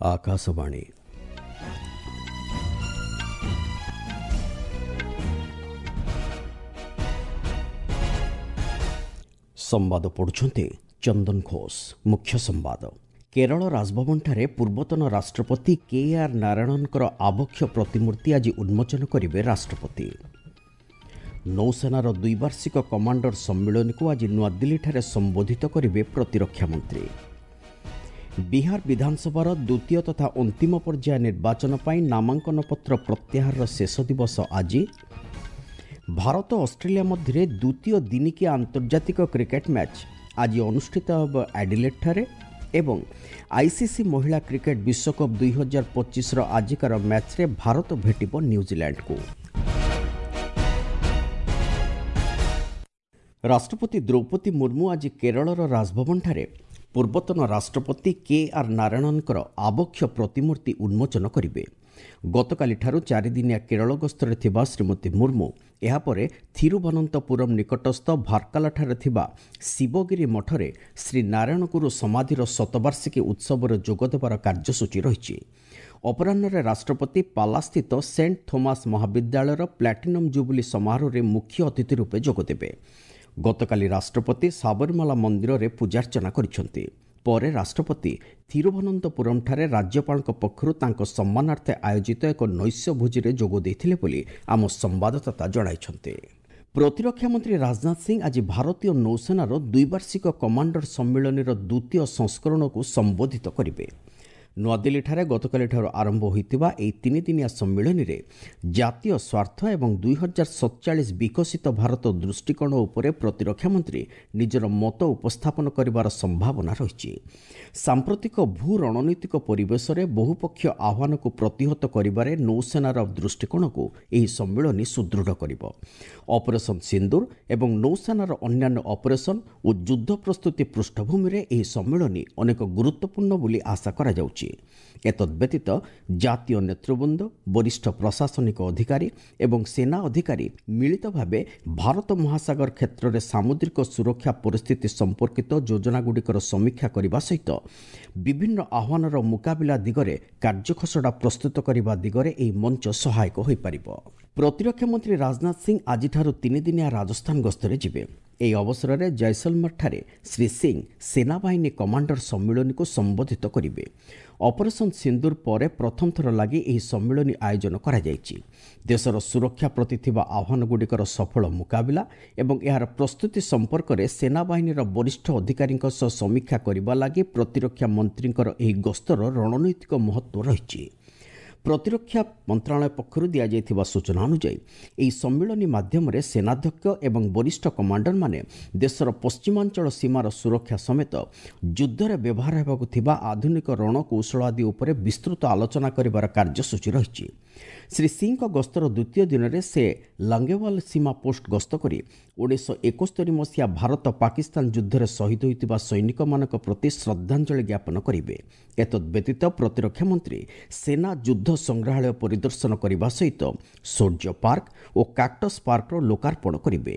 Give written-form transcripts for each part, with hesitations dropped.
ଆକାଶବାଣୀ। ସମ୍ବାଦ ପଢ଼ୁଛନ୍ତି ଚନ୍ଦନ ଘୋଷ। ମୁଖ୍ୟ ସମ୍ବାଦ। କେରଳ ରାଜଭବନଠାରେ ପୂର୍ବତନ ରାଷ୍ଟ୍ରପତି କେ ଆର୍ ନାରାୟଣନଙ୍କର ଆବକ୍ଷ ପ୍ରତିମୂର୍ତ୍ତି ଆଜି ଉନ୍ମୋଚନ କରିବେ ରାଷ୍ଟ୍ରପତି। ନୌସେନାର ଦ୍ୱିବାର୍ଷିକ କମାଣ୍ଡର ସମ୍ମିଳନୀକୁ ଆଜି ନୂଆଦିଲ୍ଲୀଠାରେ ସମ୍ବୋଧିତ କରିବେ ପ୍ରତିରକ୍ଷା ମନ୍ତ୍ରୀ। ବିହାର ବିଧାନସଭାର ଦ୍ୱିତୀୟ ତଥା ଅନ୍ତିମ ପର୍ଯ୍ୟାୟ ନିର୍ବାଚନ ପାଇଁ ନାମାଙ୍କନପତ୍ର ପ୍ରତ୍ୟାହାରର ଶେଷ ଦିବସ ଆଜି। ଭାରତ ଅଷ୍ଟ୍ରେଲିଆ ମଧ୍ୟରେ ଦ୍ୱିତୀୟ ଦିନିକିଆ ଆନ୍ତର୍ଜାତିକ କ୍ରିକେଟ୍ ମ୍ୟାଚ୍ ଆଜି ଅନୁଷ୍ଠିତ ହେବ ଆଡିଲେଟ୍ଠାରେ। ଏବଂ ଆଇସିସି ମହିଳା କ୍ରିକେଟ୍ ବିଶ୍ୱକପ୍ 2025ର ଆଜିକାର ମ୍ୟାଚ୍ରେ ଭାରତ ଭେଟିବ ନ୍ୟୁଜିଲ୍ୟାଣ୍ଡକୁ। ରାଷ୍ଟ୍ରପତି ଦ୍ରୌପଦୀ ମୁର୍ମୁ ଆଜି କେରଳର ରାଜଭବନଠାରେ ପୂର୍ବତନ ରାଷ୍ଟ୍ରପତି କେ ଆର୍ ନାରାୟଣନଙ୍କର ଆବକ୍ଷ ପ୍ରତିମୂର୍ତ୍ତି ଉନ୍ମୋଚନ କରିବେ। ଗତକାଲିଠାରୁ ଚାରିଦିନିଆ କେରଳ ଗସ୍ତରେ ଥିବା ଶ୍ରୀମତୀ ମୁର୍ମୁ ଏହାପରେ ଥିରୁବନନ୍ତପୁରମ୍ ନିକଟସ୍ଥ ଭାର୍କାଲାଠାରେ ଥିବା ଶିବଗିରି ମଠରେ ଶ୍ରୀ ନାରାୟଣଗୁରୁ ସମାଧିର ଶତବାର୍ଷିକୀ ଉତ୍ସବରେ ଯୋଗଦେବାର କାର୍ଯ୍ୟସୂଚୀ ରହିଛି। ଅପରାହ୍ନରେ ରାଷ୍ଟ୍ରପତି ପାଲାସ୍ଥିତ ସେଣ୍ଟ ଥୋମାସ୍ ମହାବିଦ୍ୟାଳୟର ପ୍ଲାଟିନମ୍ ଜୁବୁଲି ସମାରୋହରେ ମୁଖ୍ୟ ଅତିଥି ରୂପେ ଯୋଗଦେବେ। ଗତକାଲି ରାଷ୍ଟ୍ରପତି ସାବରିମାଲା ମନ୍ଦିରରେ ପୂଜାର୍ଚ୍ଚନା କରିଛନ୍ତି। ପରେ ରାଷ୍ଟ୍ରପତି ଥିରୁଭନନ୍ତପୁରମ୍ଠାରେ ରାଜ୍ୟପାଳଙ୍କ ପକ୍ଷରୁ ତାଙ୍କ ସମ୍ମାନାର୍ଥେ ଆୟୋଜିତ ଏକ ନୈଶ୍ୟ ଭୋଜିରେ ଯୋଗ ଦେଇଥିଲେ ବୋଲି ଆମ ସମ୍ବାଦଦାତା ଜଣାଇଛନ୍ତି। ପ୍ରତିରକ୍ଷା ମନ୍ତ୍ରୀ ରାଜନାଥ ସିଂ ଆଜି ଭାରତୀୟ ନୌସେନାର ଦ୍ୱିବାର୍ଷିକ କମାଣ୍ଡର ସମ୍ମିଳନୀର ଦ୍ୱିତୀୟ ସଂସ୍କରଣକୁ ସମ୍ବୋଧିତ କରିବେ। ନୂଆଦିଲ୍ଲୀଠାରେ ଗତକାଲିଠାରୁ ଆରମ୍ଭ ହୋଇଥିବା ଏହି ତିନିଦିନିଆ ସମ୍ମିଳନୀରେ ଜାତୀୟ ସ୍ୱାର୍ଥ ଏବଂ 2047 ବିକଶିତ ଭାରତ ଦୃଷ୍ଟିକୋଣ ଉପରେ ପ୍ରତିରକ୍ଷା ମନ୍ତ୍ରୀ ନିଜର ମତ ଉପସ୍ଥାପନ କରିବାର ସମ୍ଭାବନା ରହିଛି। ସାମ୍ପ୍ରତିକ ଭୂ ରଣନୈତିକ ପରିବେଶରେ ବହୁପକ୍ଷୀୟ ଆହ୍ୱାନକୁ ପ୍ରତିହତ କରିବାରେ ନୌସେନାର ଦୃଷ୍ଟିକୋଣକୁ ଏହି ସମ୍ମିଳନୀ ସୁଦୃଢ଼ କରିବ। ଅପରେସନ୍ ସିନ୍ଦୁର ଏବଂ ନୌସେନାର ଅନ୍ୟାନ୍ୟ ଅପରେସନ୍ ଓ ଯୁଦ୍ଧ ପ୍ରସ୍ତୁତି ପୃଷ୍ଠଭୂମିରେ ଏହି ସମ୍ମିଳନୀ ଅନେକ ଗୁରୁତ୍ୱପୂର୍ଣ୍ଣ ବୋଲି ଆଶା କରାଯାଉଛି। ଏତଦ୍ବ୍ୟତୀତ ଜାତୀୟ ନେତୃବୃନ୍ଦ, ବରିଷ୍ଠ ପ୍ରଶାସନିକ ଅଧିକାରୀ ଏବଂ ସେନା ଅଧିକାରୀ ମିଳିତ ଭାବେ ଭାରତ ମହାସାଗର କ୍ଷେତ୍ରରେ ସାମୁଦ୍ରିକ ସୁରକ୍ଷା ପରିସ୍ଥିତି ସମ୍ପର୍କିତ ଯୋଜନାଗୁଡ଼ିକର ସମୀକ୍ଷା କରିବା ସହିତ ବିଭିନ୍ନ ଆହ୍ୱାନର ମୁକାବିଲା ଦିଗରେ କାର୍ଯ୍ୟଖସଡ଼ା ପ୍ରସ୍ତୁତ କରିବା ଦିଗରେ ଏହି ମଞ୍ଚ ସହାୟକ ହୋଇପାରିବ। ପ୍ରତିରକ୍ଷା ମନ୍ତ୍ରୀ ରାଜନାଥ ସିଂ ଆଜିଠାରୁ ତିନିଦିନିଆ ରାଜସ୍ଥାନ ଗସ୍ତରେ ଯିବେ। ଏହି ଅବସରରେ ଜୟସଲମରଠାରେ ଶ୍ରୀ ସିଂ ସେନାବାହିନୀ କମାଣ୍ଡର ସମ୍ମିଳନୀକୁ ସମ୍ବୋଧିତ କରିବେ। ଅପରେସନ୍ ସିନ୍ଦୁର ପରେ ପ୍ରଥମ ଥର ଲାଗି ଏହି ସମ୍ମିଳନୀ ଆୟୋଜନ କରାଯାଇଛି। ଦେଶର ସୁରକ୍ଷା ପ୍ରତି ଥିବା ଆହ୍ୱାନଗୁଡ଼ିକର ସଫଳ ମୁକାବିଲା ଏବଂ ଏହାର ପ୍ରସ୍ତୁତି ସମ୍ପର୍କରେ ସେନାବାହିନୀର ବରିଷ୍ଠ ଅଧିକାରୀଙ୍କ ସହ ସମୀକ୍ଷା କରିବା ଲାଗି ପ୍ରତିରକ୍ଷା ମନ୍ତ୍ରୀଙ୍କର ଏହି ଗସ୍ତର ରଣନୈତିକ ମହତ୍ତ୍ୱ ରହିଛି। ପ୍ରତିରକ୍ଷା ମନ୍ତ୍ରଣାଳୟ ପକ୍ଷରୁ ଦିଆଯାଇଥିବା ସୂଚନା ଅନୁଯାୟୀ ଏହି ସମ୍ମିଳନୀ ମାଧ୍ୟମରେ ସେନାଧ୍ୟକ୍ଷ ଏବଂ ବରିଷ୍ଠ କମାଣ୍ଡରମାନେ ଦେଶର ପଶ୍ଚିମାଞ୍ଚଳ ସୀମାର ସୁରକ୍ଷା ସମେତ ଯୁଦ୍ଧରେ ବ୍ୟବହାର ହେବାକୁ ଥିବା ଆଧୁନିକ ରଣକୌଶଳ ଆଦି ଉପରେ ବିସ୍ତୃତ ଆଲୋଚନା କରିବାର କାର୍ଯ୍ୟସୂଚୀ ରହିଛି। ଶ୍ରୀ ସିଂଙ୍କ ଗସ୍ତର ଦ୍ୱିତୀୟ ଦିନରେ ସେ ଲାଙ୍ଗେୱାଲ ସୀମା ପୋଷ୍ଟ ଗସ୍ତ କରି 1971 ମସିହା ଭାରତ ପାକିସ୍ତାନ ଯୁଦ୍ଧରେ ଶହୀଦ ହୋଇଥିବା ସୈନିକମାନଙ୍କ ପ୍ରତି ଶ୍ରଦ୍ଧାଞ୍ଜଳି ଜ୍ଞାପନ କରିବେ। ଏତଦ୍ବ୍ୟତୀତ ପ୍ରତିରକ୍ଷା ମନ୍ତ୍ରୀ ସେନା ଯୁଦ୍ଧ ସଂଗ୍ରହାଳୟ ପରିଦର୍ଶନ କରିବା ସହିତ ସୌର୍ଯ୍ୟ ପାର୍କ ଓ କାକ୍ଟସ୍ ପାର୍କର ଲୋକାର୍ପଣ କରିବେ।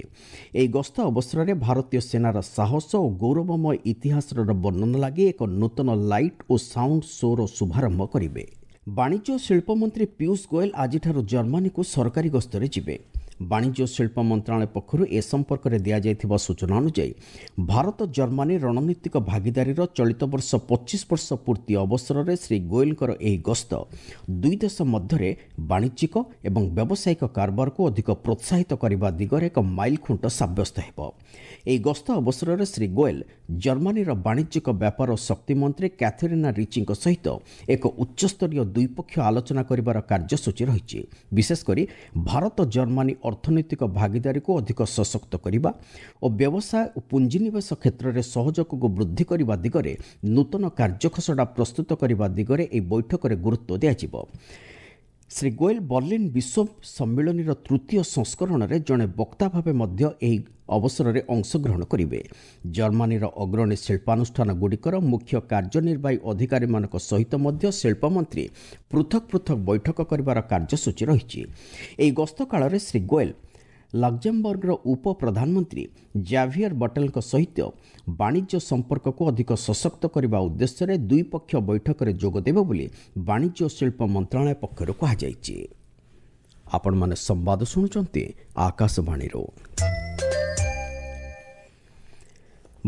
ଏହି ଗସ୍ତ ଅବସରରେ ଭାରତୀୟ ସେନାର ସାହସ ଓ ଗୌରବମୟ ଇତିହାସର ବର୍ଣ୍ଣନା ଲାଗି ଏକ ନୂତନ ଲାଇଟ୍ ଓ ସାଉଣ୍ଡ ଶୋ'ର ଶୁଭାରମ୍ଭ କରିବେ। ବାଣିଜ୍ୟ ଓ ଶିଳ୍ପ ମନ୍ତ୍ରୀ ପୀୟୁଷ ଗୋଏଲ ଆଜିଠାରୁ ଜର୍ମାନୀକୁ ସରକାରୀ ଗସ୍ତରେ ଯିବେ। ବାଣିଜ୍ୟ ଓ ଶିଳ୍ପ ମନ୍ତ୍ରଣାଳୟ ପକ୍ଷରୁ ଏ ସମ୍ପର୍କରେ ଦିଆଯାଇଥିବା ସୂଚନା ଅନୁଯାୟୀ ଭାରତ ଜର୍ମାନୀ ରଣନୀତିକ ଭାଗିଦାରୀର ଚଳିତ ବର୍ଷ 25 ବର୍ଷ ପୂର୍ତ୍ତି ଅବସରରେ ଶ୍ରୀ ଗୋଏଲଙ୍କର ଏହି ଗସ୍ତ ଦୁଇ ଦେଶ ମଧ୍ୟରେ ବାଣିଜ୍ୟିକ ଏବଂ ବ୍ୟବସାୟିକ କାରବାରକୁ ଅଧିକ ପ୍ରୋତ୍ସାହିତ କରିବା ଦିଗରେ ଏକ ମାଇଲଖୁଣ୍ଟ ସାବ୍ୟସ୍ତ ହେବ। ଏହି ଗସ୍ତ ଅବସରରେ ଶ୍ରୀ ଗୋଏଲ ଜର୍ମାନୀର ବାଣିଜ୍ୟିକ ବ୍ୟାପାର ଓ ଶକ୍ତି ମନ୍ତ୍ରୀ କ୍ୟାଥେରିନା ରିଚିଙ୍କ ସହିତ ଏକ ଉଚ୍ଚସ୍ତରୀୟ ଦ୍ୱିପକ୍ଷୀୟ ଆଲୋଚନା କରିବାର କାର୍ଯ୍ୟସୂଚୀ ରହିଛି। ବିଶେଷକରି ଭାରତ ଜର୍ମାନୀ ଅର୍ଥନୈତିକ ଭାଗିଦାରୀକୁ ଅଧିକ ସଶକ୍ତ କରିବା ଓ ବ୍ୟବସାୟ ଓ ପୁଞ୍ଜିନିବେଶ କ୍ଷେତ୍ରରେ ସହଯୋଗକୁ ବୃଦ୍ଧି କରିବା ଦିଗରେ ନୂତନ କାର୍ଯ୍ୟଖସଡ଼ା ପ୍ରସ୍ତୁତ କରିବା ଦିଗରେ ଏହି ବୈଠକରେ ଗୁରୁତ୍ୱ ଦିଆଯିବ। ଶ୍ରୀ ଗୋଏଲ ବର୍ଲିନ୍ ବିଶ୍ୱ ସମ୍ମିଳନୀର ତୃତୀୟ ସଂସ୍କରଣରେ ଜଣେ ବକ୍ତା ଭାବେ ମଧ୍ୟ ଏହି ଅବସରରେ ଅଂଶଗ୍ରହଣ କରିବେ। ଜର୍ମାନୀର ଅଗ୍ରଣୀ ଶିଳ୍ପାନୁଷ୍ଠାନଗୁଡ଼ିକର ମୁଖ୍ୟ କାର୍ଯ୍ୟନିର୍ବାହୀ ଅଧିକାରୀମାନଙ୍କ ସହିତ ମଧ୍ୟ ଶିଳ୍ପମନ୍ତ୍ରୀ ପୃଥକ ପୃଥକ ବୈଠକ କରିବାର କାର୍ଯ୍ୟସୂଚୀ ରହିଛି। ଏହି ଗସ୍ତ କାଳରେ ଶ୍ରୀ ଗୋଏଲ ଲକ୍ଜେମବର୍ଗର ଉପ ପ୍ରଧାନମନ୍ତ୍ରୀ ଜାଭିୟର ବଟେଲଙ୍କ ସହିତ ବାଣିଜ୍ୟ ସମ୍ପର୍କକୁ ଅଧିକ ସଶକ୍ତ କରିବା ଉଦ୍ଦେଶ୍ୟରେ ଦ୍ୱିପକ୍ଷ ବୈଠକରେ ଯୋଗଦେବେ ବୋଲି ବାଣିଜ୍ୟ ଓ ଶିଳ୍ପ ମନ୍ତ୍ରଣାଳୟ ପକ୍ଷରୁ କୁହାଯାଇଛି। ଆପଣମାନେ ସମ୍ବାଦ ଶୁଣୁଛନ୍ତି ଆକାଶବାଣୀରୁ।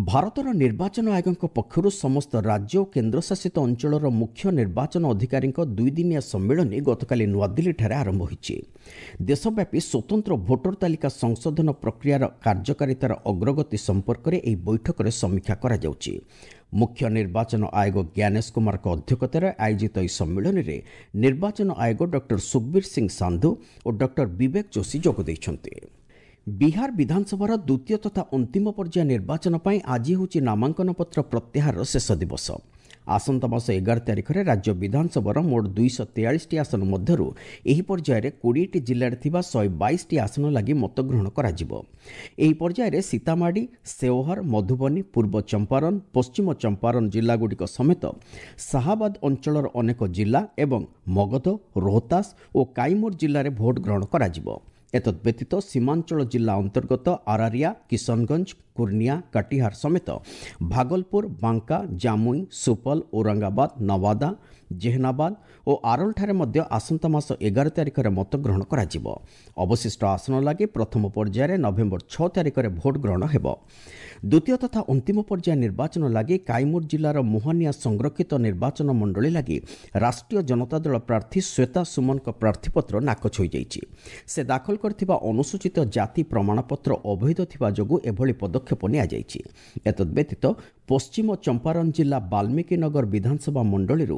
ଭାରତର ନିର୍ବାଚନ ଆୟୋଗଙ୍କ ପକ୍ଷରୁ ସମସ୍ତ ରାଜ୍ୟ ଓ କେନ୍ଦ୍ରଶାସିତ ଅଞ୍ଚଳର ମୁଖ୍ୟ ନିର୍ବାଚନ ଅଧିକାରୀଙ୍କ ଦୁଇଦିନିଆ ସମ୍ମିଳନୀ ଗତକାଲି ନୂଆଦିଲ୍ଲୀଠାରେ ଆରମ୍ଭ ହୋଇଛି। ଦେଶବ୍ୟାପୀ ସ୍ୱତନ୍ତ୍ର ଭୋଟର ତାଲିକା ସଂଶୋଧନ ପ୍ରକ୍ରିୟାର କାର୍ଯ୍ୟକାରିତାର ଅଗ୍ରଗତି ସମ୍ପର୍କରେ ଏହି ବୈଠକରେ ସମୀକ୍ଷା କରାଯାଉଛି। ମୁଖ୍ୟ ନିର୍ବାଚନ ଆୟୋଗ ଜ୍ଞାନେଶ କୁମାରଙ୍କ ଅଧ୍ୟକ୍ଷତାରେ ଆୟୋଜିତ ଏହି ସମ୍ମିଳନୀରେ ନିର୍ବାଚନ ଆୟୋଗ ଡକ୍ଟର ସୁଖବୀର ସିଂ ସାନ୍ଧୁ ଓ ଡକ୍ଟର ବିବେକ ଯୋଶୀ ଯୋଗ ଦେଇଛନ୍ତି। ବିହାର ବିଧାନସଭାର ଦ୍ୱିତୀୟ ତଥା ଅନ୍ତିମ ପର୍ଯ୍ୟାୟ ନିର୍ବାଚନ ପାଇଁ ଆଜି ହେଉଛି ନାମାଙ୍କନପତ୍ର ପ୍ରତ୍ୟାହାରର ଶେଷ ଦିବସ। ଆସନ୍ତା ମାସ 11 ତାରିଖରେ ରାଜ୍ୟ ବିଧାନସଭାର ମୋଟ 243ଟି ଆସନ ମଧ୍ୟରୁ ଏହି ପର୍ଯ୍ୟାୟରେ 20ଟି ଜିଲ୍ଲାରେ ଥିବା 122ଟି ଆସନ ଲାଗି ମତଗ୍ରହଣ କରାଯିବ। ଏହି ପର୍ଯ୍ୟାୟରେ ସୀତାମାଢ଼ି, ସେଓହର, ମଧୁବନୀ, ପୂର୍ବ ଚମ୍ପାରନ୍, ପଶ୍ଚିମ ଚମ୍ପାରନ୍ ଜିଲ୍ଲାଗୁଡ଼ିକ ସମେତ ସାହାବାଦ ଅଞ୍ଚଳର ଅନେକ ଜିଲ୍ଲା ଏବଂ ମଗଧ, ରୋହତାସ ଓ କାଇମୁର ଜିଲ୍ଲାରେ ଭୋଟ ଗ୍ରହଣ କରାଯିବ। ଏତଦ୍ ବ୍ୟତୀତ ସୀମାଞ୍ଚଳ ଜିଲ୍ଲା ଅନ୍ତର୍ଗତ ଆରାରିଆ, କିଶନଗଞ୍ଜ, କୁର୍ନିଆ, କଟିହାର ସମେତ ଭାଗଲପୁର, ବାଙ୍କା, ଜାମୁଇ, ସୁପଲ, ଔରଙ୍ଗାବାଦ, ନୱାଦା, ଜେହନାବାଦ ଓ ଆରୋଲଠାରେ ମଧ୍ୟ ଆସନ୍ତା ମାସ 11 ତାରିଖରେ ମତଗ୍ରହଣ କରାଯିବ। ଅବଶିଷ୍ଟ ଆସନ ଲାଗି ପ୍ରଥମ ପର୍ଯ୍ୟାୟରେ ନଭେମ୍ବର 6 ତାରିଖରେ ଭୋଟ ଗ୍ରହଣ ହେବ। ଦ୍ୱିତୀୟ ତଥା ଅନ୍ତିମ ପର୍ଯ୍ୟାୟ ନିର୍ବାଚନ ଲାଗି କାଇମୁର ଜିଲ୍ଲାର ମୋହାନିଆ ସଂରକ୍ଷିତ ନିର୍ବାଚନ ମଣ୍ଡଳୀ ଲାଗି ରାଷ୍ଟ୍ରୀୟ ଜନତା ଦଳ ପ୍ରାର୍ଥୀ ଶ୍ୱେତା ସୁମନଙ୍କ ପ୍ରାର୍ଥୀପତ୍ର ନାକଚ ହୋଇଯାଇଛି। ସେ ଦାଖଲ କରିଥିବା ଅନୁସୂଚିତ ଜାତି ପ୍ରମାଣପତ୍ର ଅବୈଧ ଥିବା ଯୋଗୁଁ ଏଭଳି ପଦକ୍ଷେପ ନିଆଯାଇଛି। ଏତଦ୍ ବ୍ୟତୀତ ପଶ୍ଚିମ ଚମ୍ପାରନ୍ ଜିଲ୍ଲା ବାଲ୍ମୀକି ନଗର ବିଧାନସଭା ମଣ୍ଡଳୀରୁ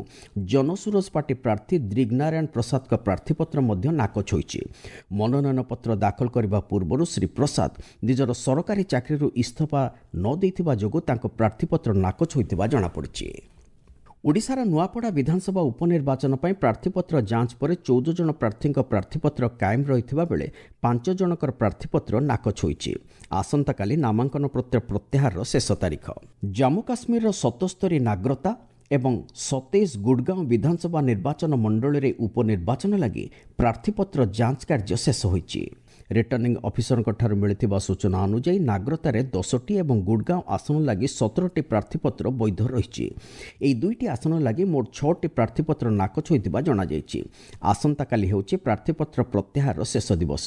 ଜନସୁରଜ ପାର୍ଟି ପ୍ରାର୍ଥୀ ଦ୍ରିଗନାରାୟଣ ପ୍ରସାଦଙ୍କ ପ୍ରାର୍ଥୀପତ୍ର ମଧ୍ୟ ନାକଚ ହୋଇଛି। ମନୋନୟନପତ୍ର ଦାଖଲ କରିବା ପୂର୍ବରୁ ଶ୍ରୀ ପ୍ରସାଦ ନିଜର ସରକାରୀ ଚାକିରିରୁ ଇସ୍ତଫା ନ ଦେଇଥିବା ଯୋଗୁଁ ତାଙ୍କ ପ୍ରାର୍ଥୀପତ୍ର ନାକଚ ହୋଇଥିବା ଜଣାପଡ଼ିଛି। ଓଡ଼ିଶାର ନୂଆପଡ଼ା ବିଧାନସଭା ଉପନିର୍ବାଚନ ପାଇଁ ପ୍ରାର୍ଥୀପତ୍ର ଯାଞ୍ଚ ପରେ 14 ଜଣ ପ୍ରାର୍ଥୀଙ୍କ ପ୍ରାର୍ଥୀପତ୍ର କାଏମ ରହିଥିବା ବେଳେ 5 ଜଣଙ୍କର ପ୍ରାର୍ଥୀପତ୍ର ନାକଚ ହୋଇଛି। ଆସନ୍ତାକାଲି ନାମାଙ୍କନ ପତ୍ର ପ୍ରତ୍ୟାହାରର ଶେଷ ତାରିଖ। ଜାମ୍ମୁ କାଶ୍ମୀରର 77 ନାଗ୍ରତା ଏବଂ 27 ଗୁଡ଼ଗାଁଓ ବିଧାନସଭା ନିର୍ବାଚନ ମଣ୍ଡଳୀରେ ଉପନିର୍ବାଚନ ଲାଗି ପ୍ରାର୍ଥୀପତ୍ର ଯାଞ୍ଚ କାର୍ଯ୍ୟ ଶେଷ ହୋଇଛି। ରିଟର୍ଣ୍ଣିଂ ଅଫିସରଙ୍କଠାରୁ ମିଳିଥିବା ସୂଚନା ଅନୁଯାୟୀ ନାଗ୍ରତାରେ 10ଟି ଏବଂ ଗୁଡ଼ଗାଁଓ ଆସନ ଲାଗି 17ଟି ପ୍ରାର୍ଥୀପତ୍ର ବୈଧ ରହିଛି। ଏହି 2ଟି ଆସନ ଲାଗି ମୋଟ 6ଟି ପ୍ରାର୍ଥୀପତ୍ର ନାକଚ ହୋଇଥିବା ଜଣାଯାଇଛି। ଆସନ୍ତାକାଲି ହେଉଛି ପ୍ରାର୍ଥୀପତ୍ର ପ୍ରତ୍ୟାହାରର ଶେଷ ଦିବସ।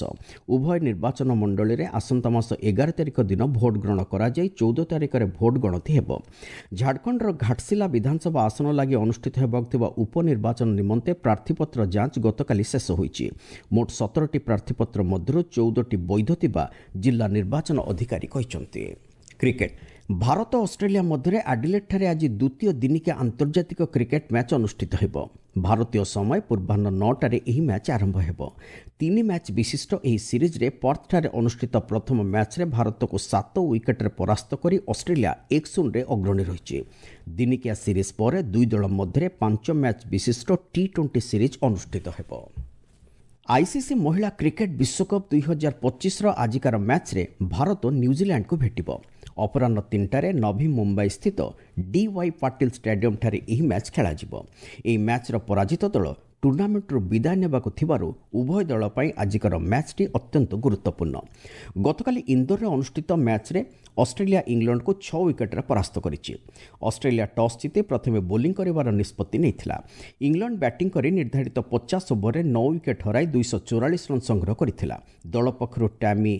ଉଭୟ ନିର୍ବାଚନ ମଣ୍ଡଳୀରେ ଆସନ୍ତା ମାସ 11 ତାରିଖ ଦିନ ଭୋଟ ଗ୍ରହଣ କରାଯାଇ 14 ତାରିଖରେ ଭୋଟ ଗଣତି ହେବ। ଝାଡ଼ଖଣ୍ଡର ଘାଟଶିଲା ବିଧାନସଭା ଆସନ ଲାଗି ଅନୁଷ୍ଠିତ ହେବାକୁ ଥିବା ଉପନିର୍ବାଚନ ନିମନ୍ତେ ପ୍ରାର୍ଥୀପତ୍ର ଯାଞ୍ଚ ଗତକାଲି ଶେଷ ହୋଇଛି। ମୋଟ 17ଟି ପ୍ରାର୍ଥୀପତ୍ର ମଧ୍ୟରୁ 14ଟି ବୈଧ ଥିବା ଜିଲ୍ଲା ନିର୍ବାଚନ ଅଧିକାରୀ କହିଛନ୍ତି। କ୍ରିକେଟ। ଭାରତ ଅଷ୍ଟ୍ରେଲିଆ ମଧ୍ୟରେ ଆଡିଲେଟ୍ଠାରେ ଆଜି ଦ୍ୱିତୀୟ ଦିନିକିଆ ଆନ୍ତର୍ଜାତିକ କ୍ରିକେଟ ମ୍ୟାଚ୍ ଅନୁଷ୍ଠିତ ହେବ। ଭାରତୀୟ ସମୟ ପୂର୍ବାହ୍ନ 9ଟାରେ ଏହି ମ୍ୟାଚ୍ ଆରମ୍ଭ ହେବ। 3 ମ୍ୟାଚ୍ ବିଶିଷ୍ଟ ଏହି ସିରିଜ୍ରେ ପର୍ଥଠାରେ ଅନୁଷ୍ଠିତ ପ୍ରଥମ ମ୍ୟାଚ୍ରେ ଭାରତକୁ 7 ୱିକେଟ୍ରେ ପରାସ୍ତ କରି ଅଷ୍ଟ୍ରେଲିଆ 1-0ରେ ଅଗ୍ରଣୀ ରହିଛି। ଦିନିକିଆ ସିରିଜ୍ ପରେ ଦୁଇ ଦଳ ମଧ୍ୟରେ 5 ମ୍ୟାଚ୍ ବିଶିଷ୍ଟ ଟି-20 ସିରିଜ୍ ଅନୁଷ୍ଠିତ ହେବ। ଆଇସିସି ମହିଳା କ୍ରିକେଟ ବିଶ୍ୱକପ୍ 2025ର ଆଜିକାର ମ୍ୟାଚ୍ରେ ଭାରତ ନ୍ୟୁଜିଲ୍ୟାଣ୍ଡକୁ ଭେଟିବ। ଅପରାହ୍ନ 3ଟାରେ ନଭି ମୁମ୍ବାଇ ସ୍ଥିତ ଡିୱାଇ ପାଟିଲ ଷ୍ଟାଡିୟମଠାରେ ଏହି ମ୍ୟାଚ୍ ଖେଳାଯିବ। ଏହି ମ୍ୟାଚ୍ର ପରାଜିତ ଦଳ ଟୁର୍ଣ୍ଣାମେଣ୍ଟରୁ ବିଦାୟ ନେବାକୁ ଥିବାରୁ ଉଭୟ ଦଳ ପାଇଁ ଆଜିକାର ମ୍ୟାଚ୍ଟି ଅତ୍ୟନ୍ତ ଗୁରୁତ୍ୱପୂର୍ଣ୍ଣ। ଗତକାଲି ଇନ୍ଦୋରରେ ଅନୁଷ୍ଠିତ ମ୍ୟାଚ୍ରେ ଅଷ୍ଟ୍ରେଲିଆ ଇଂଲଣ୍ଡକୁ 6 ୱିକେଟ୍ରେ ପରାସ୍ତ କରିଛି। ଅଷ୍ଟ୍ରେଲିଆ ଟସ୍ ଜିତି ପ୍ରଥମେ ବୋଲିଂ କରିବାର ନିଷ୍ପତ୍ତି ନେଇଥିଲା। ଇଂଲଣ୍ଡ ବ୍ୟାଟିଂ କରି ନିର୍ଦ୍ଧାରିତ 50 ଓଭରରେ 9 ୱିକେଟ୍ ହରାଇ 244 ରନ୍ ସଂଗ୍ରହ କରିଥିଲା। ଦଳ ପକ୍ଷରୁ ଟ୍ୟାମି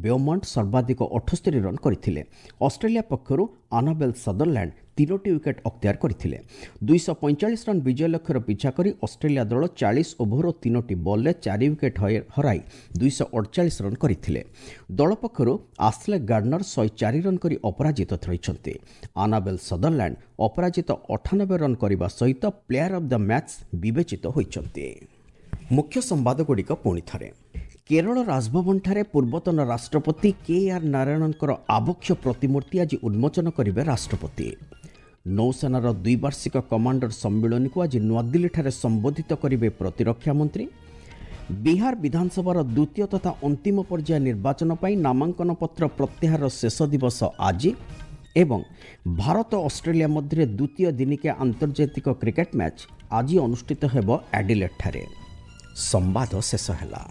ବେଓମଣ୍ଟ ସର୍ବାଧିକ 78 ରନ୍ କରିଥିଲେ। ଅଷ୍ଟ୍ରେଲିଆ ପକ୍ଷରୁ ଆନାବେଲ୍ ସଦରଲ୍ୟାଣ୍ଡ 3ଟି ୱିକେଟ୍ ଅକ୍ତିଆର କରିଥିଲେ। 245 ରନ୍ ବିଜୟ ଲକ୍ଷ୍ୟର ପିଛା କରି ଅଷ୍ଟ୍ରେଲିଆ ଦଳ 40 ଓଭର ଓ 3ଟି ବଲ୍ରେ 4 ୱିକେଟ୍ ହରାଇ 248 ରନ୍ କରିଥିଲେ। ଦଳ ପକ୍ଷରୁ ଆସ୍ଲେ ଗାର୍ଡନର 104 ରନ୍ କରି ଅପରାଜିତ ରହିଛନ୍ତି। ଆନାବେଲ୍ ସଦରଲ୍ୟାଣ୍ଡ ଅପରାଜିତ 98 ରନ୍ କରିବା ସହିତ ପ୍ଲେୟାର ଅଫ୍ the match ବିବେଚିତ ହୋଇଛନ୍ତି। ମୁଖ୍ୟ ସମ୍ବାଦଗୁଡ଼ିକ ପୁଣି ଥରେ। କେରଳ ରାଜଭବନଠାରେ ପୂର୍ବତନ ରାଷ୍ଟ୍ରପତି କେ ଆର୍ ନାରାୟଣଙ୍କର ଆବକ୍ଷ ପ୍ରତିମୂର୍ତ୍ତି ଆଜି ଉନ୍ମୋଚନ କରିବେ ରାଷ୍ଟ୍ରପତି। ନୌସେନାର ଦ୍ୱିବାର୍ଷିକ କମାଣ୍ଡର ସମ୍ମିଳନୀକୁ ଆଜି ନୂଆଦିଲ୍ଲୀଠାରେ ସମ୍ବୋଧିତ କରିବେ ପ୍ରତିରକ୍ଷା ମନ୍ତ୍ରୀ। ବିହାର ବିଧାନସଭାର ଦ୍ୱିତୀୟ ତଥା ଅନ୍ତିମ ପର୍ଯ୍ୟାୟ ନିର୍ବାଚନ ପାଇଁ ନାମାଙ୍କନ ପତ୍ର ପ୍ରତ୍ୟାହାରର ଶେଷ ଦିବସ ଆଜି ଏବଂ ଭାରତ ଅଷ୍ଟ୍ରେଲିଆ ମଧ୍ୟରେ ଦ୍ୱିତୀୟ ଦିନିକିଆ ଆନ୍ତର୍ଜାତିକ କ୍ରିକେଟ ମ୍ୟାଚ୍ ଆଜି ଅନୁଷ୍ଠିତ ହେବ ଆଡିଲେଟ୍ଠାରେ। ସମ୍ବାଦ ଶେଷ ହେଲା।